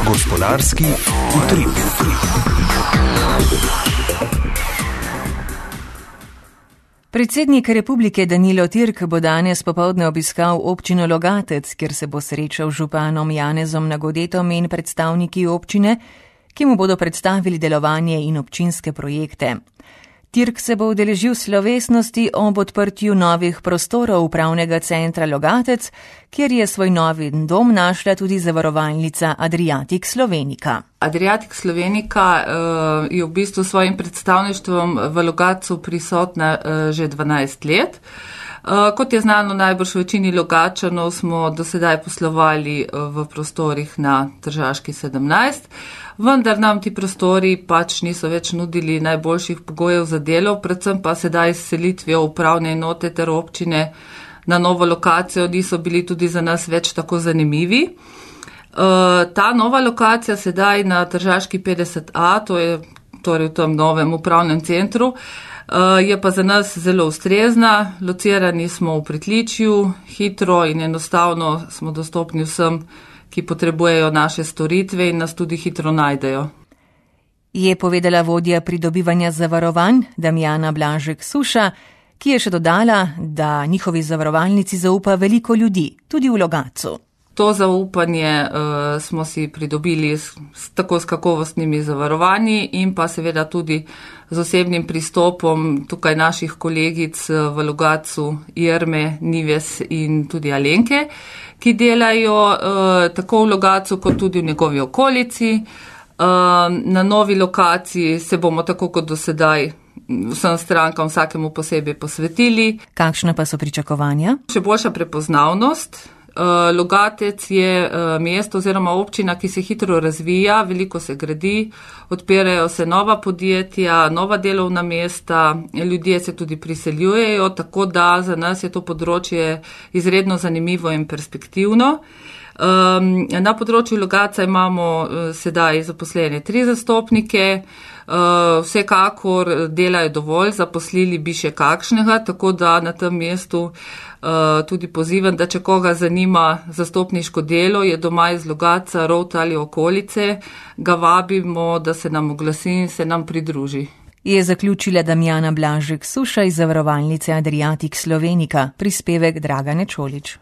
Gospodarski utrip. Predsednik republike Danilo Türk bo danes popoldne obiskal občino Logatec, kjer se bo srečal z županom Janezom Nagodetom in predstavniki občine, ki mu bodo predstavili delovanje in občinske projekte. Türk se bo udeležil slovesnosti ob odprtju novih prostorov upravnega centra Logatec, kjer je svoj novi dom našla tudi zavarovalnica Adriatic Slovenica. Adriatic Slovenica je v bistvu s svojim predstavništvom v Logatcu prisotna že 12 let. Kot je znano najbrž v večini Logatčanov, smo do sedaj poslovali v prostorih na Tržaški 17, vendar nam ti prostori pač niso več nudili najboljših pogojev za delo, predvsem pa sedaj s selitvijo upravne enote ter občine na novo lokacijo niso bili tudi za nas več tako zanimivi. Ta nova lokacija sedaj na Tržaški 50A, to je torej v tem novem upravnem centru, je pa za nas zelo ustrezna. Locirani smo v pritličju, hitro in enostavno smo dostopni vsem, ki potrebujejo naše storitve in nas tudi hitro najdejo. Je povedala vodja pridobivanja zavarovanj Damjana Blažek-Suša, ki je še dodala, da njihovi zavarovalnici zaupa veliko ljudi, tudi v Logatcu. To zaupanje smo si pridobili tako s kakovostnimi zavarovanji in pa seveda tudi z osebnim pristopom tukaj naših kolegic v Logatcu, Irme, Nives in tudi Alenke, ki delajo tako v Logatcu kot tudi v njegovi okolici. Na novi lokaciji se bomo tako kot do sedaj vsem strankam vsakemu posebej posvetili. Kakšna pa so pričakovanja? Še boljša prepoznavnost. Logatec je mesto oziroma občina, ki se hitro razvija, veliko se gradi, odpirajo se nova podjetja, nova delovna mesta, ljudje se tudi priseljujejo, tako da za nas je to področje izredno zanimivo in perspektivno. Na področju Logatca imamo sedaj zaposlene 3 zastopnike, vsekakor delajo dovolj, zaposlili bi še kakšnega, tako da na tem mestu tudi pozivam, da če koga zanima zastopniško delo, je doma iz Logatca, Rovta ali okolice, ga vabimo, da se nam oglasi in se nam pridruži. Je zaključila Damjana Blažek-Suša iz zavarovalnice Adriatic Slovenica, prispevek Dragane Čolić.